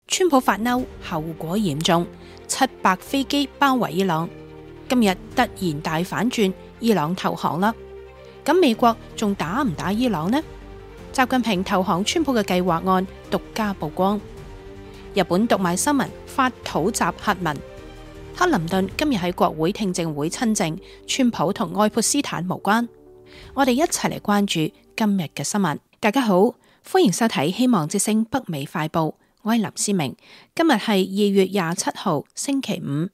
川普發嬲，後果嚴重，700飛機包圍伊朗。今日突然大反轉，伊朗投降啦。咁美國仲打唔打伊朗呢？習近平投降川普嘅計劃案獨家曝光。日本讀賣新聞發土襲核文。克林頓今日喺國會聽證會親證，川普同愛潑斯坦無關。我哋一齊嚟關注今日嘅新聞。大家好，歡迎收睇希望之聲北美快報。我係林思明，今日係2月27號星期五。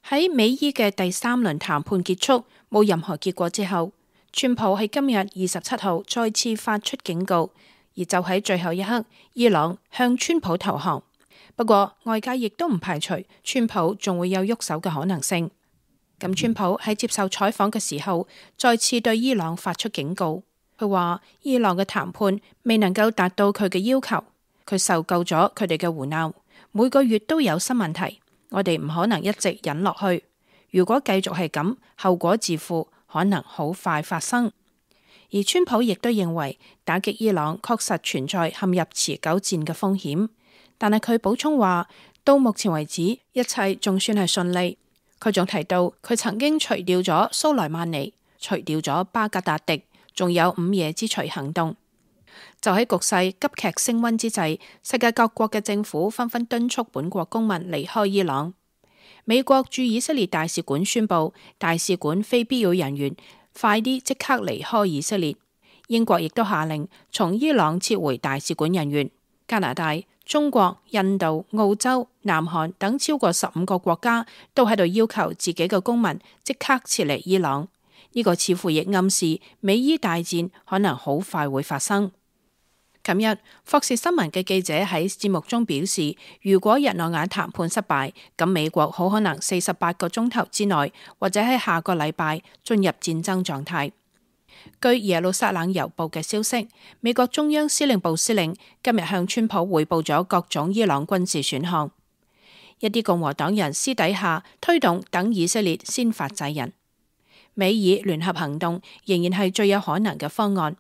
喺美伊嘅第3輪談判結束，冇任何結果之後，川普喺今日27號再次發出警告，而就喺最後一刻，伊朗向川普投降。不過外界亦都唔排除川普仲會有喐手嘅可能性。咁川普喺接受採訪嘅時候，再次對伊朗發出警告。佢話伊朗嘅談判未能夠達到佢嘅要求，佢受夠咗佢哋嘅胡鬧，每個月都有新問題，我哋唔可能一直忍落去。如果繼續係咁，後果自負，可能好快發生。而川普亦都認為打擊伊朗確實存在陷入持久戰嘅風險，但係佢補充話，到目前為止一切仲算係順利。佢仲提到佢曾經除掉咗蘇萊曼尼，除掉咗巴格達迪，仲有午夜之鎚行動。就喺局勢急劇升溫之際，世界各國嘅政府紛紛敦促本國公民離開伊朗。美國駐以色列大使館宣布，大使館非必要人員快啲即刻離開以色列。英國亦都下令從伊朗撤回大使館人員。加拿大、中國、印度、澳洲、南韓等超過15個國家都喺度要求自己嘅公民即刻撤離伊朗。呢個似乎亦暗示美伊大戰可能好快會發生。琴日，霍士新聞嘅記者喺節目中表示，如果日內瓦談判失敗，咁美國好可能48個鐘頭之內，或者喺下個禮拜進入戰爭狀態。據耶路撒冷郵報嘅消息，美國中央司令部司令今日向川普匯報咗各種伊朗軍事選項。一啲共和黨人私底下推動等以色列先發制人。美以聯合行動仍然係最有可能嘅方案。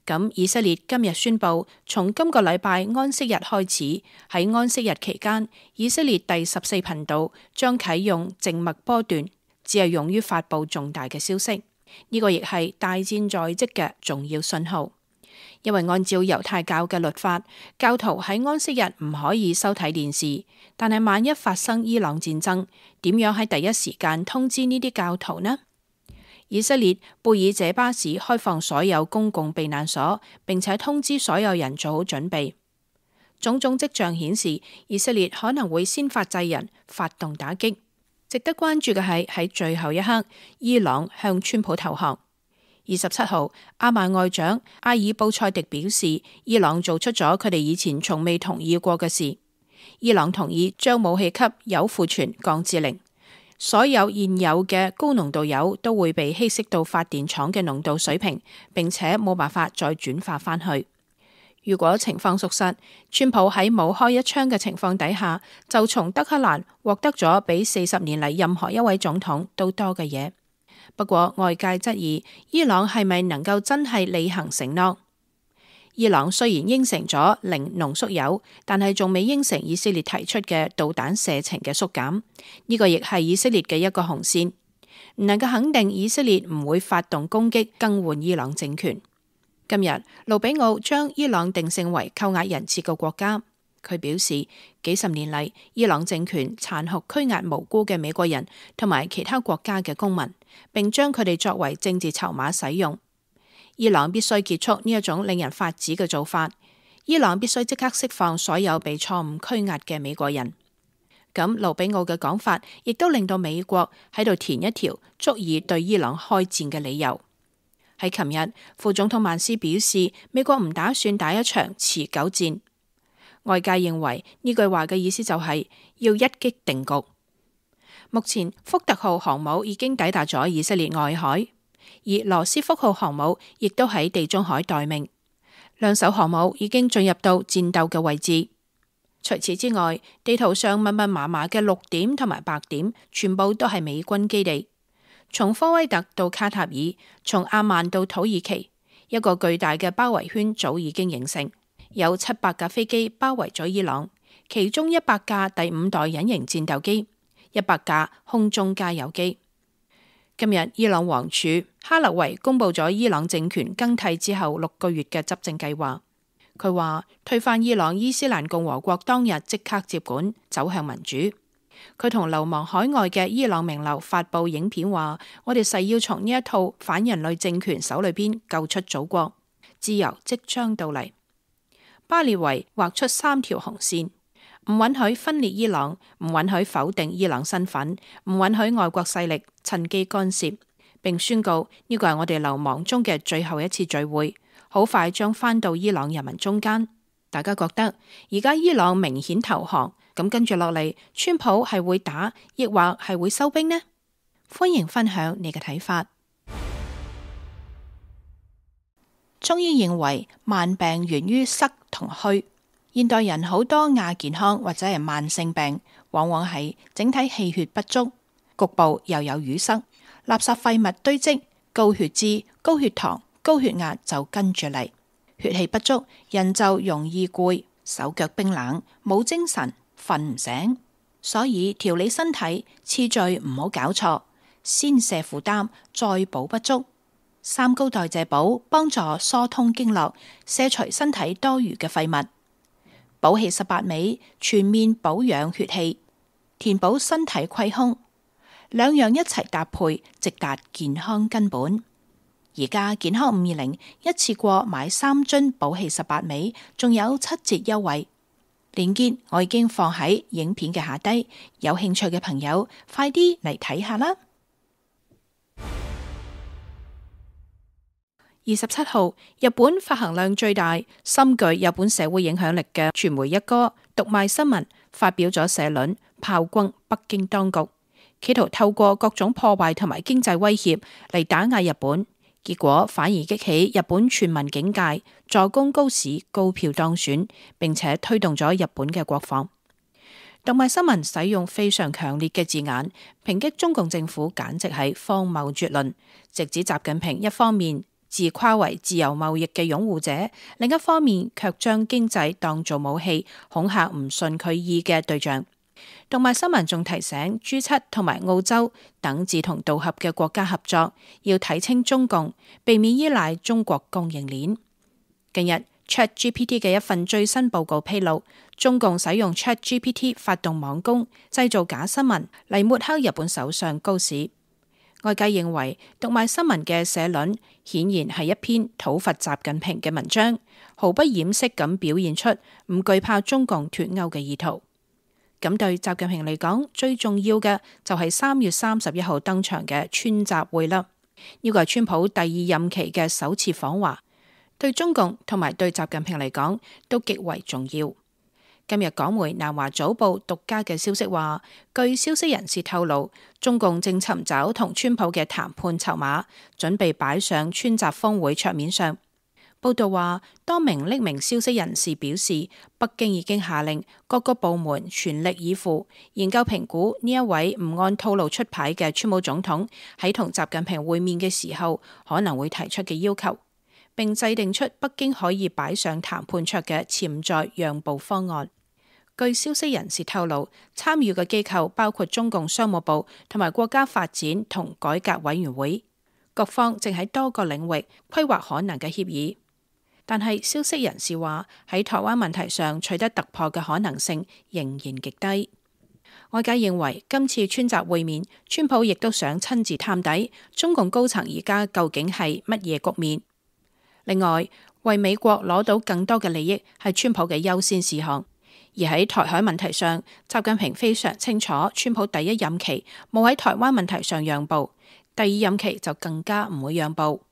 咁以色列今日宣布，從今個禮拜安息日開始，喺安息日期間，以色列第14頻道將啟用靜默波段，只係用於發佈重大嘅消息。呢個亦係大戰在即嘅重要信號，因為按照猶太教嘅律法，教徒喺安息日唔可以收睇電視。但係萬一發生伊朗戰爭，點樣喺第一時間通知呢啲教徒呢？以色列貝爾謝巴市開放所有公共避難所，並且通知所有人做好準備。種種跡象顯示，以色列可能會先發制人，發動打擊。值得關注嘅係喺最後一刻，伊朗向川普投降。27號，阿曼外長阿爾布塞迪表示，伊朗做出咗佢哋以前從未同意過嘅事。伊朗同意將武器級鈾庫存降至0，所有現有嘅高濃度鈾都會被稀釋到發電廠嘅濃度水平，並且冇辦法再轉化返去。如果情況屬實，川普喺冇開一槍嘅情況底下，就從德黑蘭獲得咗比40年嚟任何一位總統都多嘅嘢。不過外界質疑伊朗係咪能夠真係履行承諾？伊朗雖然應承咗0濃縮鈾，但係仲未應承以色列提出嘅導彈射程嘅縮減。呢個亦係以色列嘅一個紅線，唔能夠肯定以色列唔會發動攻擊更換伊朗政權。今日，盧比奧將伊朗定性為扣押人質嘅國家。佢表示，幾十年嚟，伊朗政權殘酷拘押無辜嘅美國人同埋其他國家嘅公民，並將佢哋作為政治籌碼使用。伊朗必須結束呢一種令人髮指嘅做法。伊朗必須即刻釋放所有被錯誤拘押嘅美國人。咁盧比奧嘅講法，亦都令到美國喺度填一條足以對伊朗開戰嘅理由。喺琴日，副總統曼斯表示，美國唔打算打一場持久戰。外界認為呢句話嘅意思就係要一擊定局。目前福特號航母已經抵達咗以色列外海，而羅斯福號航母亦都喺地中海待命。兩艘航母已經進入到戰鬥嘅位置。除此之外，地圖上密密麻麻嘅綠點同埋白點，全部都係美軍基地。從科威特到卡塔爾，從阿曼到土耳其，一個巨大嘅包圍圈早已經形成。有700架飛機包圍咗伊朗，其中100架第5代隱形戰鬥機，100架空中加油機。今日伊朗王儲哈勒維公布咗伊朗政權更替之後6個月嘅執政計劃。佢話推翻伊朗伊斯蘭共和國當日即刻接管，走向民主。佢同流亡海外嘅伊朗名流發布影片話：我哋誓要從呢一套反人類政權手裏邊救出祖國，自由即將到嚟。巴列維畫出3條紅線，唔允許分裂伊朗，唔允許否定伊朗身份，唔允許外國勢力趁機干涉，並宣告呢個係我哋流亡中嘅最後一次聚會，好快將返到伊朗人民中間。大家覺得而家伊朗明顯投降，咁跟住落嚟，川普係會打，抑或係會收兵呢？歡迎分享你嘅睇法。中醫認為慢病源於塞同虛，現代人好多亞健康或者係慢性病，往往係整體氣血不足，局部又有淤塞，垃圾廢物堆積，高血脂、高血糖、高血壓就跟住嚟。血氣不足，人就容易攰，手腳冰冷，冇精神，瞓唔醒。所以調理身體次序唔好搞錯，先卸負擔，再補不足。3高代謝補幫助疏通經絡，卸除身體多餘嘅廢物。補氣18味全面保養血氣，填補身體虧空，兩樣一齊搭配，直達健康根本。而家健康520一次過買3樽補氣18味，仲有7折優惠。鏈接我已經放喺影片嘅下低，有興趣嘅朋友快啲嚟睇下啦。27號，日本發行量最大、深具日本社會影響力嘅傳媒一哥讀賣新聞發表咗社論，炮轟北京當局，企圖透過各種破壞同埋經濟威脅嚟打壓日本。結果反而激起日本全民警戒，助攻高市高票當選，並且推動咗日本嘅國防。讀賣新聞使用非常強烈嘅字眼，抨擊中共政府簡直係荒謬絕倫，直指習近平一方面自誇為自由貿易嘅擁護者，另一方面卻將經濟當做武器，恐嚇唔順佢意嘅對象。讀賣新聞仲提醒 G7 同埋澳洲等志同道合嘅國家合作，要睇清中共，避免依賴中國供應鏈。近日 ChatGPT 嘅一份最新報告披露，中共使用 ChatGPT 發動網攻，製造假新聞嚟抹黑日本首相高市。外界認為讀賣新聞嘅社論顯然係一篇討伐習近平嘅文章，毫不掩飾咁表現出唔懼怕中共脫歐嘅意圖。咁對習近平嚟講，最重要嘅就係3月31號登場嘅川習會啦。呢個係川普第2任期嘅首次訪華，對中共同埋對習近平嚟講都極為重要。今日港媒南華早報獨家嘅消息話，據消息人士透露，中共正尋找同川普嘅談判籌碼，準備擺上川習峰會桌面上。報道話，多名匿名消息人士表示，北京已經下令各個部門全力以赴研究評估呢一位唔按套路出牌嘅川普總統喺同習近平會面嘅時候可能會提出嘅要求，並制定出北京可以擺上談判桌嘅潛在讓步方案。據消息人士透露，參與嘅機構包括中共商務部同埋國家發展同改革委員會，各方正喺多個領域規劃可能嘅協議。但係消息人士話，喺台灣問題上取得突破嘅可能性仍然極低。外界認為今次川習會面，川普亦都想親自探底中共高層而家究竟係乜嘢局面。另外，為美國攞到更多嘅利益係川普嘅優先事項。而喺台海問題上，習近平非常清楚，川普第1任期冇喺台灣問題上讓步，第2任期就更加唔會讓步。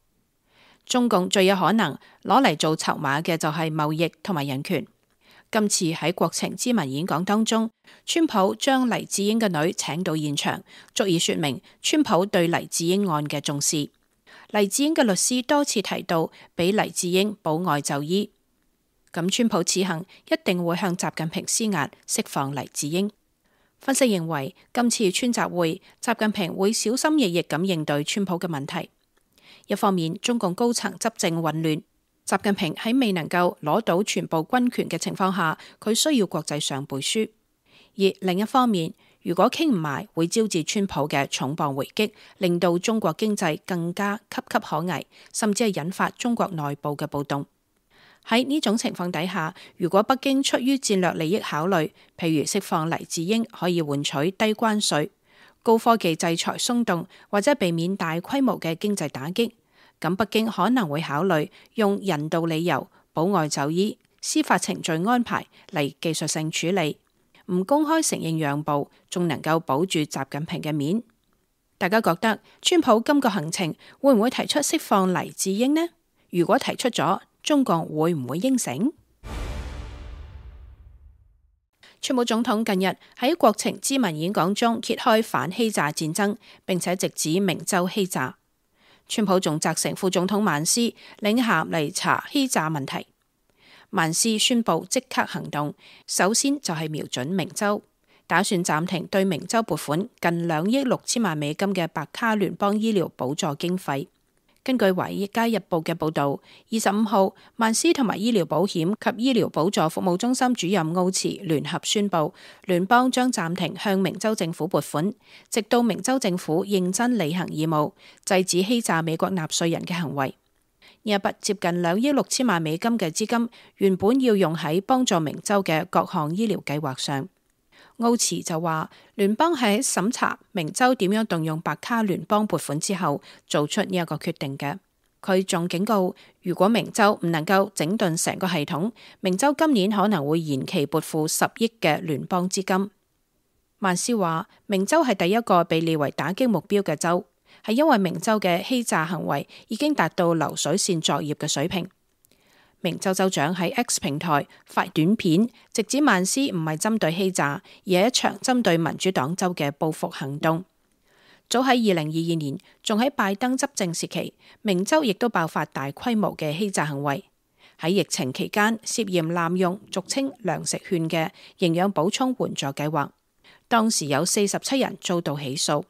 中共最有可能攞嚟做籌碼嘅就係貿易同埋人權。今次喺國情咨文演講當中，川普將黎智英嘅女請到現場，足以說明川普對黎智英案嘅重視。黎智英嘅律師多次提到俾黎智英保外就醫，咁川普此行一定會向習近平施壓釋放黎智英。分析認為，今次川習會，習近平會小心翼翼咁應對川普嘅問題。一方面，中共高層執政混亂，習近平喺未能夠攞到全部軍權嘅情況下，佢需要國際上背書。而另一方面，如果傾唔埋，會招致川普嘅重磅回擊，令到中國經濟更加岌岌可危，甚至係引發中國內部嘅暴動。喺呢種情況底下，如果北京出於戰略利益考慮，譬如釋放黎智英可以換取低關稅、高科技制裁鬆動，或者避免大規模嘅經濟打擊，咁北京可能會考慮用人道理由、保外就醫、司法程序安排嚟技術性處理，唔公開承認讓步，仲能夠保住習近平嘅面。大家覺得川普今個行程會唔會提出釋放黎智英呢？如果提出咗，中國會唔會應承？川普總統近日喺國情咨文演講中揭開反欺詐戰爭，並且直指明州欺詐。川普仲責成副總統曼斯領銜嚟查欺詐問題。曼斯宣布即刻行動，首先就係瞄準明州，打算暫停對明州撥款近2億6千萬美金嘅白卡聯邦醫療補助經費。根據《華爾街日報》嘅報導，25號，曼斯同埋醫療保險及醫療補助服務中心主任奧茨聯合宣布，聯邦將暫停向明州政府撥款，直到明州政府認真履行義務，制止欺詐美國納稅人嘅行為。呢一筆接近2億6千萬美金嘅資金，原本要用喺幫助明州嘅各項醫療計劃上。奧茨就話，聯邦喺審查明州點樣動用白卡聯邦撥款之後，做出呢一個決定嘅。佢仲警告，如果明州唔能夠整頓成個系統，明州今年可能會延期撥付10億嘅聯邦資金。曼斯話，明州係第一個被列為打擊目標嘅州，係因為明州嘅欺詐行為已經達到流水線作業嘅水平。明州州長喺 X 平台發短片，直指曼斯唔係針對欺詐，而係一場針對民主黨州嘅報復行動。早喺2022年，仲喺拜登執政時期，明州亦都爆發大規模嘅欺詐行為。喺疫情期間，涉嫌濫用俗稱糧食券嘅營養補充援助計劃，當時有47人遭到起訴。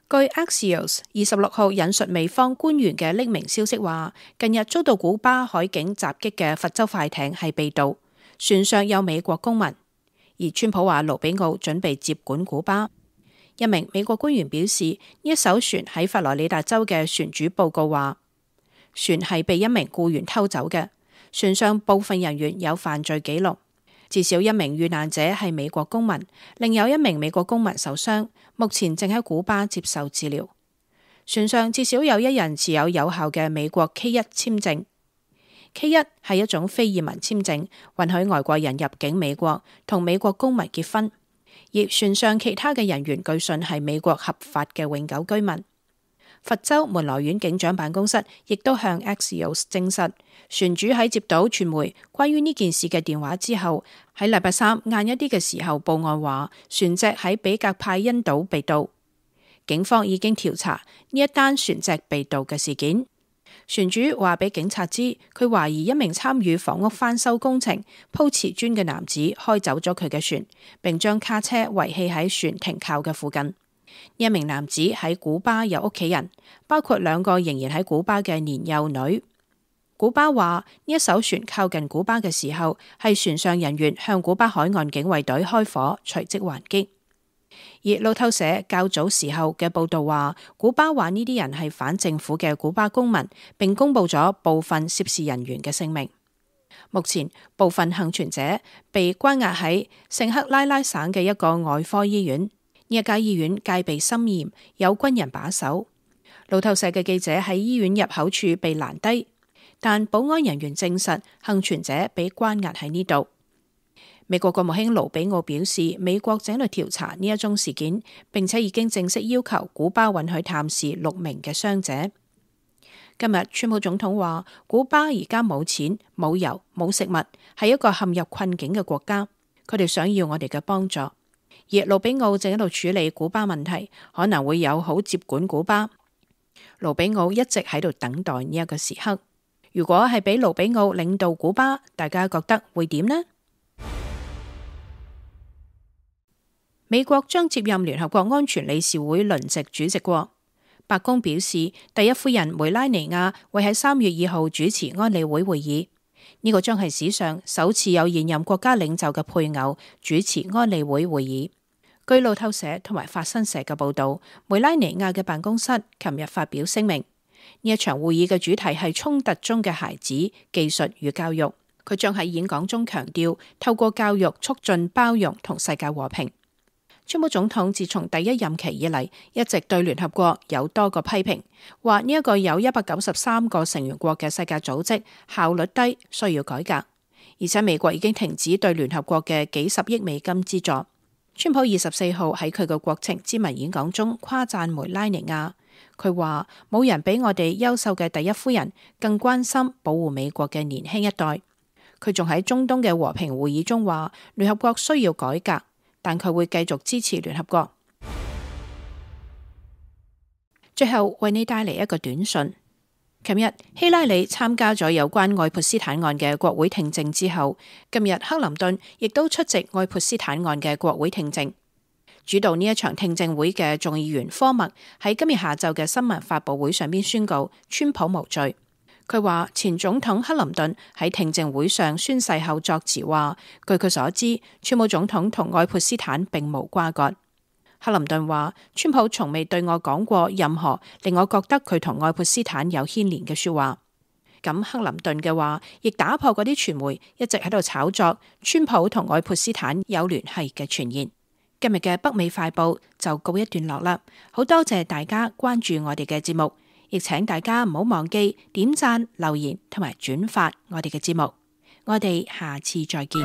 據 Axios 26號引述美方官員嘅匿名消息話，近日遭到古巴海警襲擊嘅佛州快艇係被盜，船上有美國公民。而川普話盧比奧準備接管古巴。一名美國官員表示，呢一艘船喺佛羅里達州嘅船主報告話，船係被一名僱員偷走嘅，船上部分人員有犯罪記錄。至少一名遇難者係美國公民，另有一名美國公民受傷，目前正喺古巴接受治療。船上至少有1人持有有效嘅美國 K1 簽證。K1 係一種非移民簽證，允許外國人入境美國同美國公民結婚。而船上其他嘅人員據信係美國合法嘅永久居民。佛州門羅縣警長辦公室亦都向 Axios 證實，船主喺接到傳媒關於呢件事嘅電話之後，喺禮拜三晏一啲嘅時候報案話，船隻喺比格派恩島被盜。警方已經調查呢一單船隻被盜嘅事件。船主話俾警察知，佢懷疑一名參與房屋翻修工程鋪瓷磚嘅男子開走咗佢嘅船，並將卡車遺棄喺船停靠嘅附近。呢一名男子喺古巴有屋企人，包括2個仍然喺古巴嘅年幼女。古巴話呢一艘船靠近古巴嘅時候，係船上人員向古巴海岸警衛隊開火，隨即還擊。而路透社較早時候嘅報道話，古巴話呢啲人係反政府嘅古巴公民，並公布咗部分涉事人員嘅姓名。目前部分幸存者被關押喺聖克拉拉省嘅一個外科醫院。呢一家醫院戒備森嚴，有軍人把守。路透社嘅記者喺醫院入口處被攔低，但保安人員證實幸存者被關押喺呢度。美國國務卿盧比奧表示，美國正喺度調查呢一宗事件，並且已經正式要求古巴允許探視6名嘅傷者。今日川普總統話，古巴而家冇錢、冇油、冇食物，係一個陷入困境嘅國家，佢哋想要我哋嘅幫助。而盧比奧正喺度處理古巴問題，可能會友好接管古巴。盧比奧一直喺度等待呢一個時刻。如果係俾盧比奧領導古巴，大家覺得會點呢？美國將接任聯合國安全理事會輪值主席國。白宮表示，第一夫人梅拉尼亞會喺3月2號主持安理會會議，呢個將係史上首次有現任國家領袖嘅配偶主持安理會會議。據路透社同埋法新社嘅報道，梅拉尼亞嘅辦公室琴日發表聲明，呢一場會議嘅主題係衝突中嘅孩子、技術與教育。佢將喺演講中強調，透過教育促進包容同世界和平。川普總統自從第一任期以嚟，一直對聯合國有多個批評，話呢一個有193個成員國嘅世界組織效率低，需要改革。而且美國已經停止對聯合國嘅幾十億美金資助。川普24號喺佢嘅國情咨文演講中誇讚梅拉尼亞，佢話冇人比我哋優秀嘅第一夫人更關心保護美國嘅年輕一代。佢仲喺中東嘅和平會議中話，聯合國需要改革，但佢會繼續支持聯合國。最後為你帶嚟一個短訊。琴日希拉里參加咗有關愛潑斯坦案嘅國會聽證之後，今日克林頓亦都出席愛潑斯坦案嘅國會聽證。主導呢一場聽證會嘅眾議員科默喺今日下晝嘅新聞發佈會上邊宣告川普無罪。佢話前總統克林頓喺聽證會上宣誓後作詞話，據佢所知，川普總統同愛潑斯坦並無瓜葛。克林頓話，川普從未對我講過任何令我覺得佢同愛潑斯坦有牽連嘅說話。咁克林頓嘅話亦打破嗰啲傳媒一直喺度炒作川普同愛潑斯坦有聯繫嘅傳言。今日嘅北美快報就告一段落啦，好多謝大家關注我哋嘅節目。亦請大家唔好忘記點讚、留言同埋轉發我哋嘅節目。我哋下次再見。